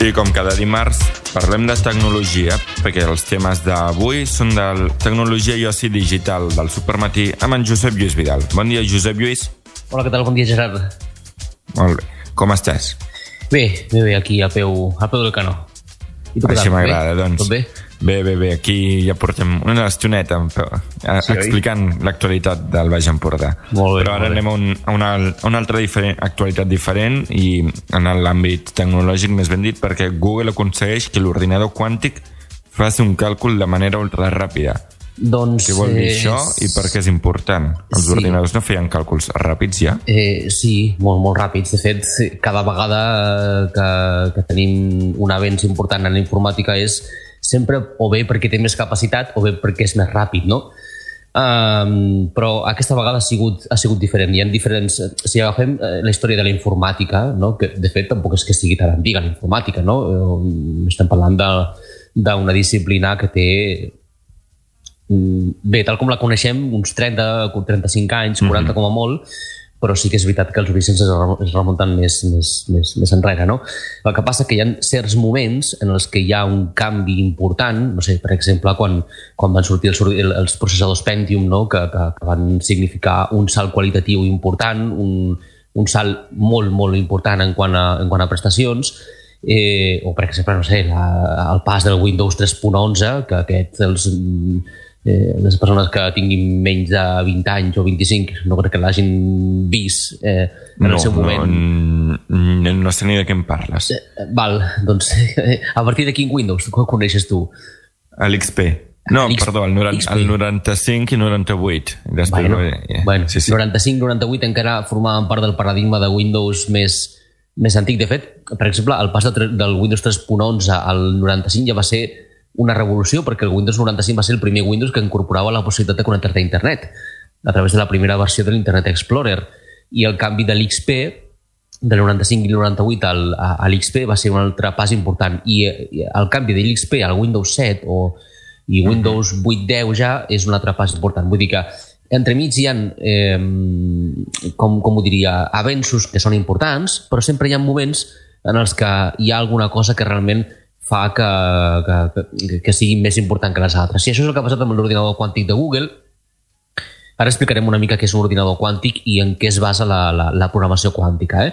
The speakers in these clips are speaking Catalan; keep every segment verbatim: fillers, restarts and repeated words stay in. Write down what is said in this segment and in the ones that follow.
I com cada dimarts parlem de tecnologia, perquè els temes d'avui són de tecnologia i oci digital del Supermatí amb en Josep Lluís Vidal. Bon dia, Josep Lluís. Hola, què tal? Bon dia, Gerard. Molt bé. Com estàs? Bé, bé, bé, aquí al peu, al peu del canó. I tu què Així tal? m'agrada, doncs. Tot bé? Bé, bé, bé. Aquí ja portem una estoneta sí, explicant l'actualitat del Baix Empordà. Molt bé, Però ara molt bé. anem a, un, a, una, a una altra diferent, actualitat diferent i en l'àmbit tecnològic, més ben dit, perquè Google aconsegueix que l'ordinador quàntic faci un càlcul de manera ultra ràpida. Doncs... Què vol dir eh, això i per què és important? Els sí. ordinadors no feien càlculs ràpids ja? Eh, sí, molt, molt ràpids. De fet, cada vegada que, que tenim un avenç important en la informàtica és sempre o bé perquè té més capacitat o bé perquè és més ràpid, no? Um, però aquesta vegada ha sigut, ha sigut diferent. Hi ha diferents... Si agafem la història de la informàtica, no? Que de fet tampoc és que sigui tan antiga la informàtica, no? Estem parlant d'una disciplina que té... Bé, tal com la coneixem, uns trenta, trenta-cinc anys, quaranta mm-hmm. com a molt, però sí que és veritat que els orígens es remunten més, més, més, més enrere, no? El que passa que hi ha certs moments en els que hi ha un canvi important, no sé, per exemple, quan, quan van sortir els, els processadors Pentium, no? que, que, que van significar un salt qualitatiu important, un, un salt molt, molt important en quant a, en quant a prestacions, eh, o per exemple, no sé, la, el pas del Windows tres punt onze, que aquest, els... Eh, les persones que tinguin menys de vint anys o vint-i-cinc no crec que l'hagin vist eh, en no, el seu moment. No, no sé ni de què em parles. Eh, val, doncs a partir de quin Windows ho coneixes tu? L'X P. No, perdó, el, noranta, el noranta-cinc i noranta-vuit. Després, bueno, eh, bueno sí, sí. noranta-cinc noranta-vuit encara formaven part del paradigma de Windows més, més antic. De fet, per exemple, el pas de, del Windows tres punt onze al noranta-cinc ja va ser una revolució, perquè el Windows noranta-cinc va ser el primer Windows que incorporava la possibilitat de connectar-te a internet a través de la primera versió de l'Internet Explorer, i el canvi de l'X P del noranta-cinc i noranta-vuit al, a, a l'X P va ser un altre pas important, i, i el canvi de l'X P al Windows set o, i Windows vuit deu ja és un altre pas important. Vull dir que entremig hi ha eh, com, com ho diria, avenços que són importants, però sempre hi ha moments en els que hi ha alguna cosa que realment fa que, que, que sigui més important que les altres. I això és el que ha passat amb l'ordinador quàntic de Google. Ara explicarem una mica què és un ordinador quàntic i en què es basa la, la, la programació quàntica. Eh?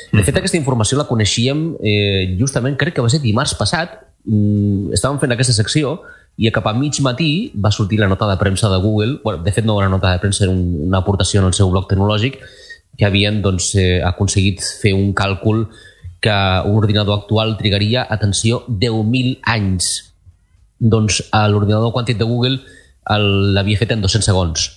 De fet, aquesta informació la coneixíem eh, justament, crec que va ser dimarts passat. Mm, estàvem fent aquesta secció i cap a mig matí va sortir la nota de premsa de Google. Bueno, de fet, no era una nota de premsa, era un, una aportació en el seu blog tecnològic, que havien doncs, eh, aconseguit fer un càlcul que un ordinador actual trigaria, atenció, deu mil anys. Doncs l'ordinador quàntic de Google l'havia fet en dos-cents segons.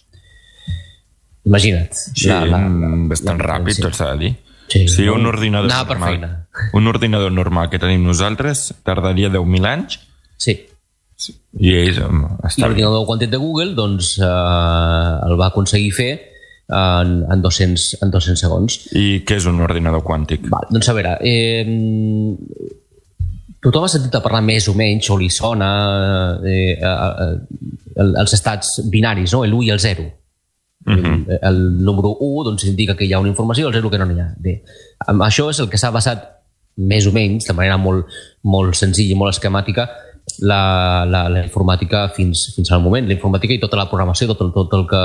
Imagina't. Sí, la, la, la, bastant la, ràpid, sí. Tot s'ha de dir. Sí, sí, un ordinador normal, un ordinador normal que tenim nosaltres tardaria deu mil anys. Sí. Sí. I ells, I l'ordinador quàntic de Google doncs, eh, el va aconseguir fer En, en, dos-cents, en dos-cents segons. I què és un ordinador quàntic? Val, doncs a veure, eh, tothom ha sentit a parlar més o menys, o li sona eh, eh, els estats binaris, no? l'u i el zero. Uh-huh. el, el número u doncs, indica que hi ha una informació, el zero que no n'hi ha. Bé, això és el que s'ha basat més o menys, de manera molt, molt senzilla i molt esquemàtica, La, la, la informàtica fins, fins al moment. La informàtica i tota la programació, tot el, tot el que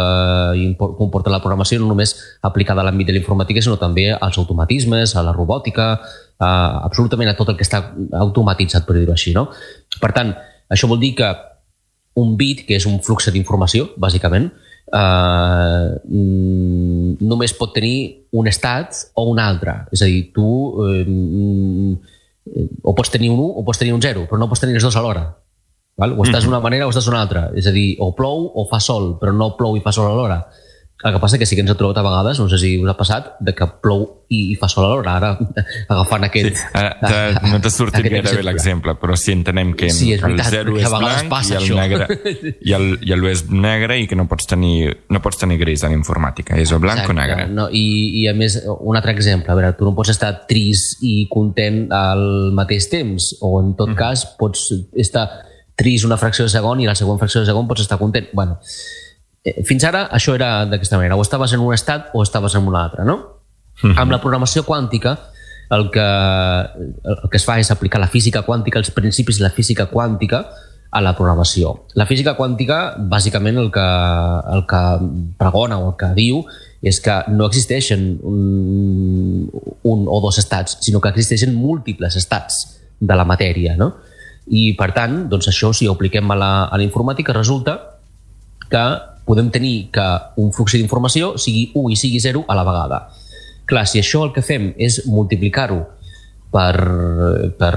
comporta la programació, no només aplicada a l'àmbit de la informàtica, sinó també als automatismes, a la robòtica, a, absolutament a tot el que està automatitzat, per dir-ho així. No? Per tant, això vol dir que un bit, que és un flux d'informació, bàsicament, eh, només pot tenir un estat o un altre. És a dir, tu... Eh, o pots tenir un u o pots tenir un zero, però no pots tenir els dos alhora. Val? O estàs d'una manera o estàs d'una altra. És a dir, o plou o fa sol, però no plou i fa sol alhora. El que passa que sí que ens ha trobat a vegades, no sé si us ha passat, de que plou i, i fa sol alhora. Ara, agafant aquest... Sí, ara, no t'ha sortit gaire bé l'exemple, però sí entenem que sí, és veritat, el zero és blanc i el, negre, i, el, i el u és negre i que no pots tenir, no pots tenir gris en informàtica. És o blanc Exacte, o negre. No? I, I a més, un altre exemple. A veure, tu no pots estar trist i content al mateix temps, o en tot mm. cas pots estar trist una fracció de segon i la següent fracció de segon pots estar content. Bueno, fins ara això era d'aquesta manera, o estaves en un estat o estaves en un altre, no? Uh-huh. Amb la programació quàntica el que, el que es fa és aplicar la física quàntica, els principis de la física quàntica a la programació. La física quàntica, bàsicament, el que, el que pregona o el que diu és que no existeixen un, un o dos estats, sinó que existeixen múltiples estats de la matèria, no? I, per tant, doncs això, si ho apliquem a la, a la informàtica, resulta que podem tenir que un flux d'informació sigui u i sigui zero a la vegada. Clar, si això el que fem és multiplicar-ho per, per,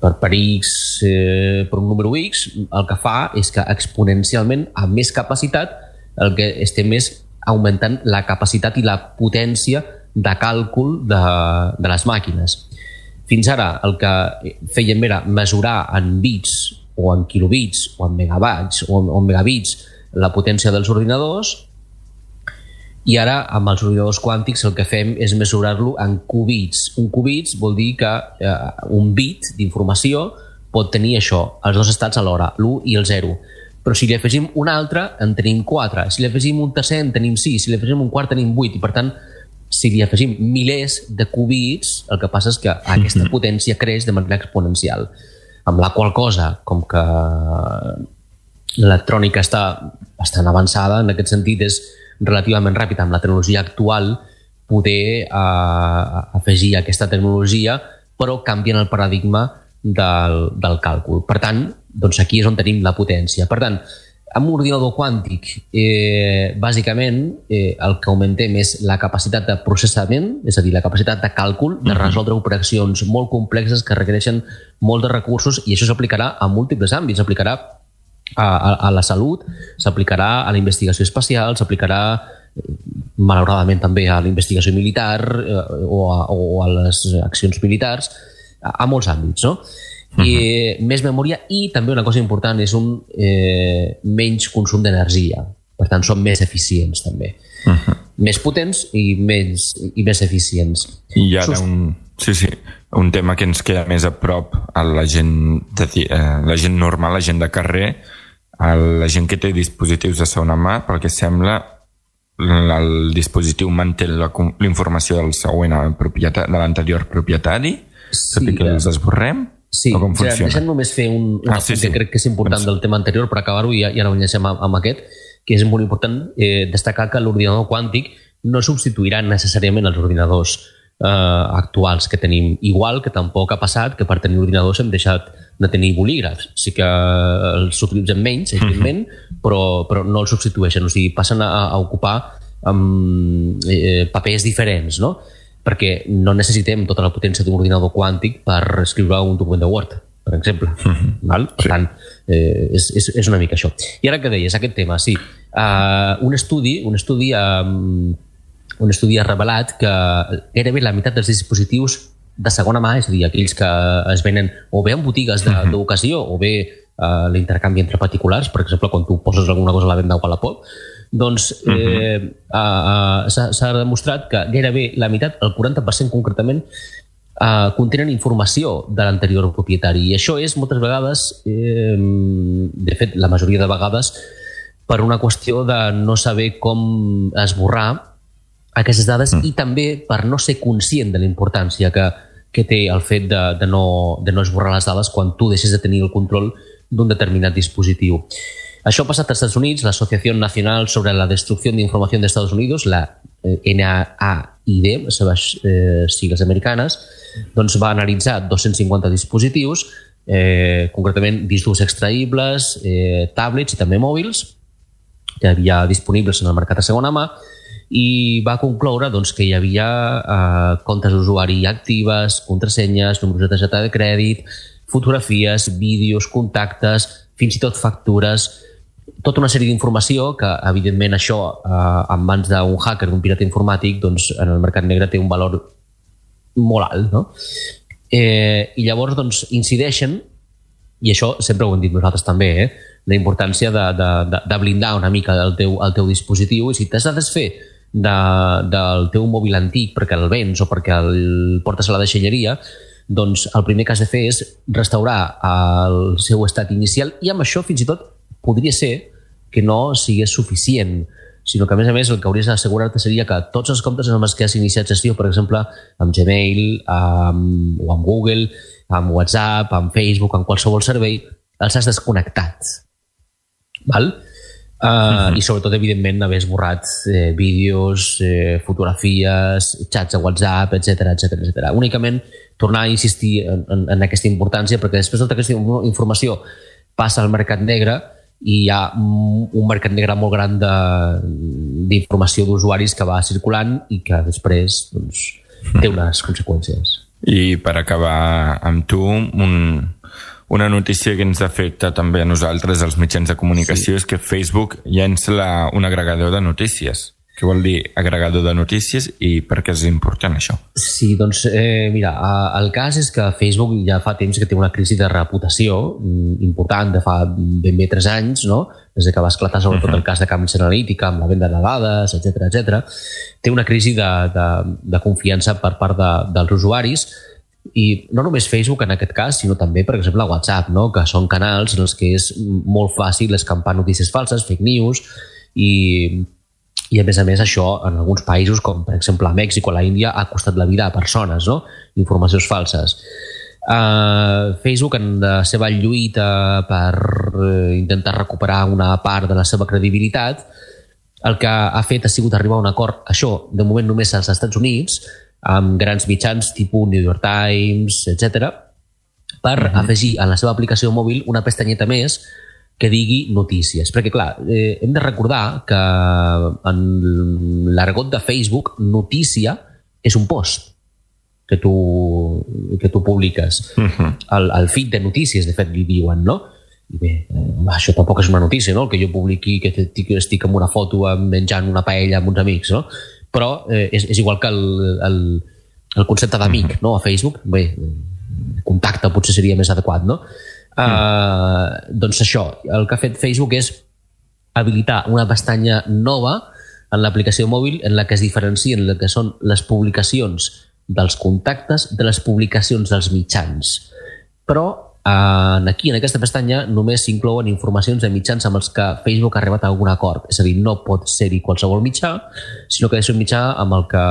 per, per x, eh, per un número x, el que fa és que exponencialment, amb més capacitat, el que estem és augmentant la capacitat i la potència de càlcul de, de les màquines. Fins ara el que fèiem era mesurar en bits o en kilobits o en megabits o en, o en megabits la potència dels ordinadors, i ara amb els ordinadors quàntics el que fem és mesurar-lo en qubits. Un qubits vol dir que eh, un bit d'informació pot tenir això, els dos estats alhora, l'u i el zero. Però si li afegim un altre en tenim quatre, si li afegim un tercer en tenim sis, si li afegim un quart tenim vuit, i per tant si li afegim milers de qubits, el que passa és que aquesta potència creix de manera exponencial. Amb la qual cosa, com que l'electrònica està bastant avançada, en aquest sentit és relativament ràpida amb la tecnologia actual poder eh, afegir aquesta tecnologia, però canvien el paradigma del, del càlcul. Per tant, doncs aquí és on tenim la potència. Per tant, amb un ordinador quàntic, eh, bàsicament, eh, el que augmentem és la capacitat de processament, és a dir, la capacitat de càlcul, de resoldre operacions molt complexes que requereixen molts de recursos, i això s'aplicarà a múltiples àmbits. S'aplicarà a, a, a la salut, s'aplicarà a la investigació espacial, s'aplicarà, malauradament, també a la investigació militar eh, o, a, o a les accions militars, a, a molts àmbits, no? I uh-huh. més memòria, i també una cosa important és un eh, menys consum d'energia, per tant són més eficients també, uh-huh. més potents i, menys, i més eficients. I ara un, sí, sí, un tema que ens queda més a prop a la gent, de, eh, la gent normal, la gent de carrer, a la gent que té dispositius de segona mà, pel que sembla el dispositiu manté la, la informació del següent propietari, de l'anterior propietari, sí, tot i que els esborrem. Sí, o sea, deixem només fer un, un ah, sí, sí. que crec que és important del tema anterior per acabar-ho, i ja, ja no enllacem amb, amb aquest, que és molt important eh, destacar que l'ordinador quàntic no substituirà necessàriament els ordinadors eh, actuals que tenim, igual que tampoc ha passat que per tenir ordinadors hem deixat de tenir bolígrafs. Sí que els utilitzem menys, evidentment, mm-hmm. però, però no els substitueixen, o sigui, passen a, a ocupar um, eh, papers diferents, no? Perquè no necessitem tota la potència d'un ordinador quàntic per escriure un document de Word, per exemple. Mm-hmm. Val? Per sí. tant, eh, és, és, és una mica això. I ara que deies, aquest tema, sí. Uh, un estudi, un estudi, um, un estudi ha revelat que gairebé la meitat dels dispositius de segona mà, és a dir, aquells que es venen o bé en botigues d'ocasió o bé uh, l'intercanvi entre particulars, per exemple, quan tu poses alguna cosa a la venda o a la Wallapop, doncs eh, uh-huh. uh, uh, s'ha demostrat que gairebé la meitat, el quaranta per cent concretament, uh, contenen informació de l'anterior propietari. I això és moltes vegades, eh, de fet, la majoria de vegades, per una qüestió de no saber com esborrar aquestes dades uh-huh. i també per no ser conscient de la importància que, que té el fet de, de, no, de no esborrar les dades quan tu deixes de tenir el control d'un determinat dispositiu. Això ha passat als Estats Units. La Asociació Nacional sobre la Destrucció d'Informació dels Estats Unidos, la N A I D, les seves eh, sigles americanes, doncs va analitzar dos-cents cinquanta dispositius, eh, concretament discos extraïbles, eh, tablets i també mòbils, que hi havia disponibles en el mercat de segona mà, i va concloure doncs, que hi havia eh, comptes d'usuari actives, contrasenyes, números de targeta de crèdit, fotografies, vídeos, contactes, fins i tot factures, tota una sèrie d'informació que, evidentment, això eh, en mans d'un hacker, d'un pirata informàtic, doncs, en el mercat negre té un valor molt alt, no? Eh, I llavors doncs, incideixen, i això sempre ho hem dit nosaltres també, eh, la importància de, de, de, de blindar una mica el teu, el teu dispositiu, i si t'has de desfer de, del teu mòbil antic perquè el vens o perquè el portes a la deixalleria, doncs el primer que has de fer és restaurar el seu estat inicial, i amb això fins i tot podria ser que no sigués suficient, sinó que, a més a més, el que hauries d'assegurar-te seria que tots els comptes amb els que has iniciat gestió, per exemple, amb Gmail, amb, o amb Google, amb WhatsApp, amb Facebook, amb qualsevol servei, els has desconnectat. Val? Uh, uh-huh. I sobretot, evidentment, haver esborrat eh, vídeos, eh, fotografies, xats a WhatsApp, etcètera, etcètera, etcètera. Únicament tornar a insistir en, en, en aquesta importància, perquè després tota aquesta informació passa al mercat negre i hi ha un mercat negre molt gran d'informació d'usuaris que va circulant i que després doncs, té unes conseqüències. I per acabar amb tu, un, una notícia que ens afecta també a nosaltres, els mitjans de comunicació, sí. És que Facebook llença la, un agregador de notícies. Què vol dir agregador de notícies i per què és important això? Sí, doncs eh, mira, el cas és que Facebook ja fa temps que té una crisi de reputació important, de fa ben bé tres anys, no? Des que va esclatar sobretot uh-huh. el cas de Cambridge Analytica amb la venda de dades, etcètera, etcètera. Té una crisi de, de, de confiança per part de, dels usuaris i no només Facebook en aquest cas, sinó també, per exemple, WhatsApp, no? Que són canals en els que és molt fàcil escampar notícies falses, fake news, i I, a més a més, això, en alguns països, com per exemple a Mèxic o a la Índia, ha costat la vida a persones, no? Informacions falses. Uh, Facebook, en la seva lluita per uh, intentar recuperar una part de la seva credibilitat, el que ha fet ha sigut arribar a un acord, això, de moment només als Estats Units, amb grans mitjans tipus New York Times, etcètera, per uh-huh. afegir a la seva aplicació mòbil una pestanyeta més que digui notícies. Perquè, clar, eh, hem de recordar que en l'argot de Facebook, notícia és un post que tu, que tu publiques. Uh-huh. El, el feed de notícies, de fet, li diuen, no? I bé, eh, això tampoc és una notícia, no? El que jo publiqui que estic amb una foto menjant una paella amb uns amics, no? Però eh, és, és igual que el, el, el concepte d'amic, uh-huh. no? A Facebook, bé, contacte potser seria més adequat, no? Uh, doncs això, el que ha fet Facebook és habilitar una pestanya nova en l'aplicació mòbil en la que es diferencien el que són les publicacions dels contactes de les publicacions dels mitjans. Però uh, aquí, en aquesta pestanya, només s'inclouen informacions de mitjans amb els que Facebook ha arribat a algun acord. És a dir, no pot ser-hi qualsevol mitjà, sinó que ha de ser un mitjà amb el que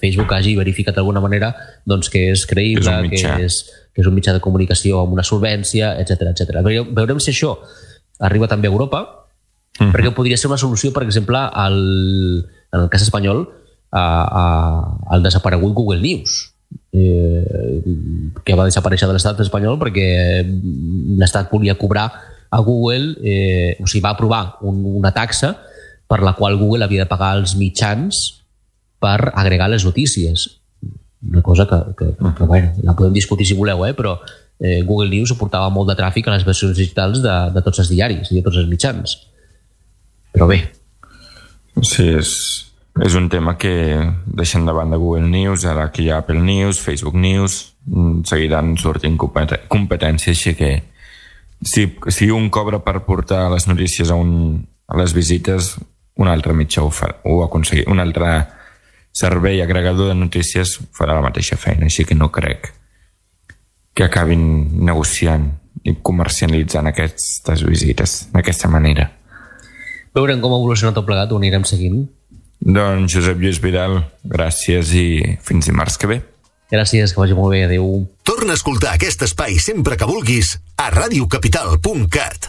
Facebook hagi verificat d'alguna manera doncs, que és creïble, que és, que és un mitjà de comunicació amb una solvència, etcètera, etcètera. Veurem si això arriba també a Europa, uh-huh. perquè podria ser una solució, per exemple, al, en el cas espanyol, a, a, al desaparegut Google News, eh, que va desaparèixer de l'estat espanyol perquè l'estat volia cobrar a Google, eh, o sigui, va aprovar un, una taxa per la qual Google havia de pagar als mitjans per agregar les notícies. Una cosa que, que, que, que bueno, la podem discutir si voleu, eh? Però eh, Google News suportava molt de tràfic a les versions digitals de, de tots els diaris i de tots els mitjans. Però bé. Sí, és, és un tema que deixen de banda Google News, ara que hi ha Apple News, Facebook News, seguiran sortint competències, així que si, si un cobra per portar les notícies a, un, a les visites, un altre mitjà ho, fa, ho aconseguir, un altre servei agregador de notícies farà la mateixa feina, així que no crec que acabin negociant i comercialitzant aquestes visites d'aquesta manera. Veurem com ha evolucionat tot plegat, ho anirem seguint. Doncs Josep Lluís Vidal, gràcies i fins dimarts que ve. Gràcies, que vagi molt bé, adéu. Torna a escoltar aquest espai sempre que vulguis a ràdio capital punt cat.